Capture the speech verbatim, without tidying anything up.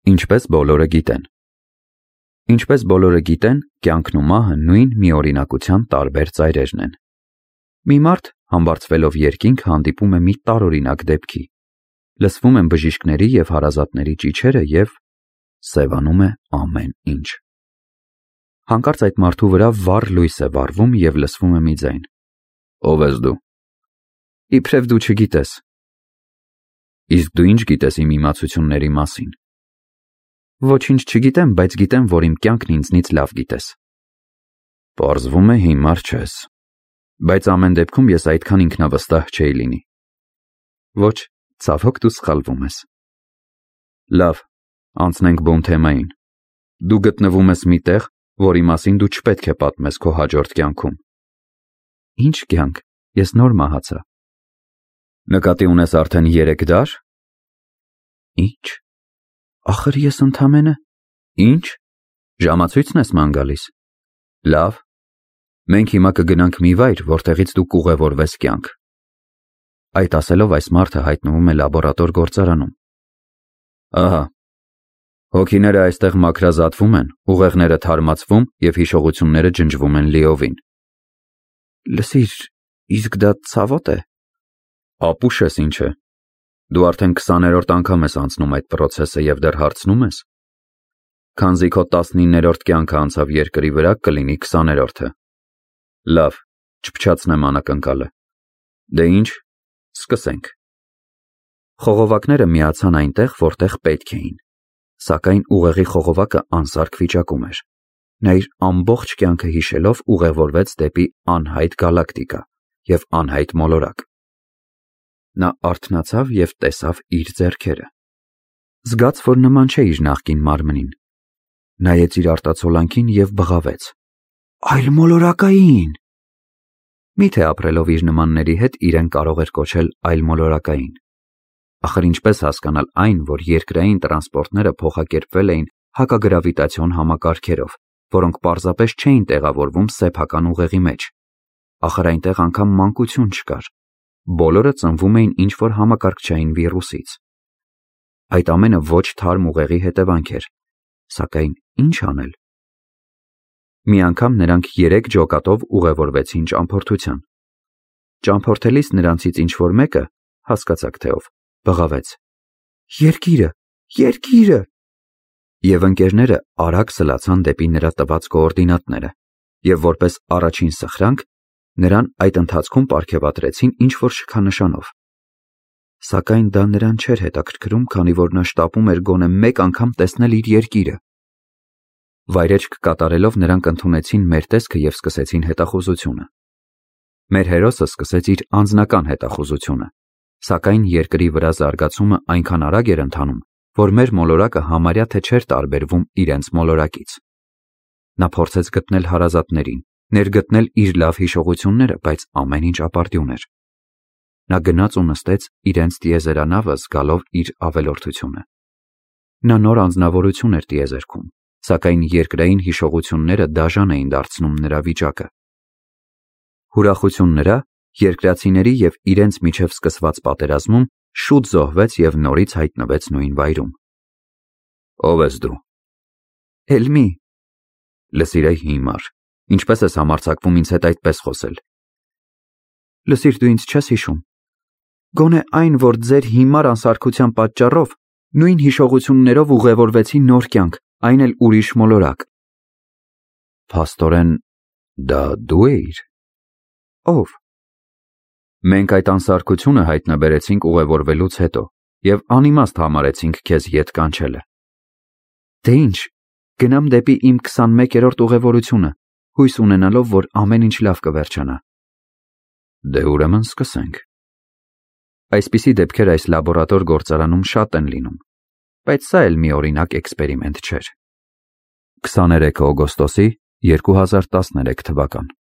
Ինչպես բոլորը գիտեն։ Ինչպես բոլորը գիտեն, կյանքն ու մահը նույն միօրինակության տարբեր ծայրերն են։ Մի մարդ, համբարձվելով երկինք, հանդիպում է մի տարօրինակ դեպքի։ Լսվում են բժիշկների և հարազատների ճիչերը և սևանում է ամեն ինչ։ Հանկարծ այդ մարդու վրա վառ լույս է վառվում և լսվում է մի ձայն. «Ո՞վ ես դու»։ «Իբրև դու չգիտես»։ «Իսկ դու ինչ գիտես իմ իմացությունների մասին»։ «Ոչինչ չգիտեմ, բայց գիտեմ, որ իմ կյանքն ինձնից լավ գիտես»։ «Պարզվում է հիմար չես, բայց ամեն դեպքում ես այդքան ինքնավստահ չէի լինի»։ «Ոչ, ցավոք դու սխալվում ես»։ «Լավ, անցնենք բուն թեմային։ Դու գտնվում ես մի տեղ, որի մասին դու չպետք է պատմես քո հաջորդ կյանքում»։ «Ինչ կյանք, ես նոր մահացա»։ «Նկատի ունես արդեն երեք դար»։ «Ինչ, ախր ես ընդամենը»։ «Ինչ, ժամացույցն ես ման գալիս»։ «Լավ, մենք հիմա կգնանք մի վայր, որտեղից դու կուղևորվես կյանք»։ Այդ ասելով այս մարդը հայտնվում է լաբորատոր գործարանում։ «Ահա, հոգիները այստեղ մաքրազատվում են, ուղեղները թարմացվում և հիշողությունները ջնջվում են լիովին»։ «Լսիր, իսկ դա ցավոտ է»։ «Ապուշ ես ինչ է, դու արդեն քսաներորդ անգամ ես անցնում այդ պրոցեսը և դեռ հարցնում ես։ Քանզի քո տասնիններորդ կյանքը անցավ երկրի վրա, կլինի քսաներորդը։ Լավ, չփչացնեմ անակնկալը։ Դե ինչ, սկսենք»։ Խողովակները միացան այնտեղ, որտեղ պետք էին, սակայն ուղեղի խողովակը անսարք վիճակում էր։ Նա իր ամբողջ կյանքը հիշելով ուղևորվեց դեպի անհայտ գալակտիկա և անհայտ մոլորակ։ Նա արթնացավ և տեսավ իր ձեռքերը։ Զգաց, որ նման չէ իր նախկին մարմնին։ Նայեց իր արտացոլանքին և բղավեց. «Այլմոլորակային»։ Միթե ապրելով իր նմանների հետ իրեն կարող էր կոչել այլմոլորակային։ Ախր ինչպես հասկանալ այն, որ երկրային տրանսպորտները փոխակերպվել էին հակագրավիտացիոն համակարգերով, որոնք պարզապես չէին տեղավորվում սեփական ուղեղի մեջ։ Ախր այնտեղ անգամ մանկություն չկար։ Բոլորը ծնվում էին ինչ-որ համակարգչային վիրուսից։ Այդ ամենը ոչ թարմ ուղեղի հետևանք էր, սակայն ինչ անել։ Մի անգամ նրանք երեք ջոկատով ուղևորվեցին ճամփորդության։ Ճամփորդելիս նրանցից ինչ-որ մեկը, հասկացաք թե ով, բղավեց. «Երկիրը, երկիրը»։ Եվ ընկերները արագ սլացան դեպի նրա տված կոորդինատները և որպես առաջին սխրանք նրան այդ ընթացքում պարգևատրեցին ինչ-որ շքանշանով։ Սակայն դա նրան չէր հետաքրքրում, քանի որ նա շտապում էր գոնե մեկ անգամ տեսնել իր երկիրը։ Վայրէջք կատարելով նրանք ընդունեցին մեր տեսքը և սկսեցին հետախուզությունը։ Մեր հերոսը սկսեց իր անձնական հետախուզությունը, սակայն երկրի վրա զարգացումը այնքան արագ էր ընթանում, որ մեր մոլորակը համարյա թե չէր տարբերվում իրենց մոլորակից։ Նա փորձեց գտնել հարազատներին, ներգտնել իր լավ հիշողությունները, բայց ամեն ինչ ապարդյուն էր։ Նա գնաց ու նստեց իրենց տիեզերանավը զգալով իր ավելորդությունը։ Նա նոր անձնավորություն էր տիեզերքում, սակայն երկրային հիշողությունները դաժան էին դարձնում նրա վիճակը։ Ուրախություն նրա երկրացիների և իրենց միջև սկսված պատերազմում շուտ զոհվեց և նորից հայտնվեց նույն վայրում։ «Ո՞վ ես դու»։ «Էլ մի»։ «Լսիր այ հիմար, ինչպես ես համարձակվում ինձ հետ այդպես խոսել»։ «Լսիր, դու ինձ չես հիշում։ Գոնե այն, որ ձեր հիմար անսարքության պատճառով նույն հիշողություններով ուղևորվեցի նոր կյանք, այն էլ ուրիշ մոլորակ»։ «Փաստորեն, դա դու էիր»։ «Ո՞վ»։ «Մենք այդ անսարքությունը հայտնաբերեցինք ուղևորվելուց հետո և անիմաստ համարեցինք քեզ ետ կանչելը»։ «Դե ինչ, գնամ դեպի իմ քսանմեկերորդ ուղևորությունը, հույս ունենալով, որ ամեն ինչ լավ կվերջանա»։ «Դե ուրեմն սկսենք»։ Այսպիսի դեպքեր այս լաբորատոր գործարանում շատ են լինում, բայց սա էլ մի օրինակ էքսպերիմենտ չէր։ քսաներեքը օգոստոսի երկու հազար տասներեք թվական։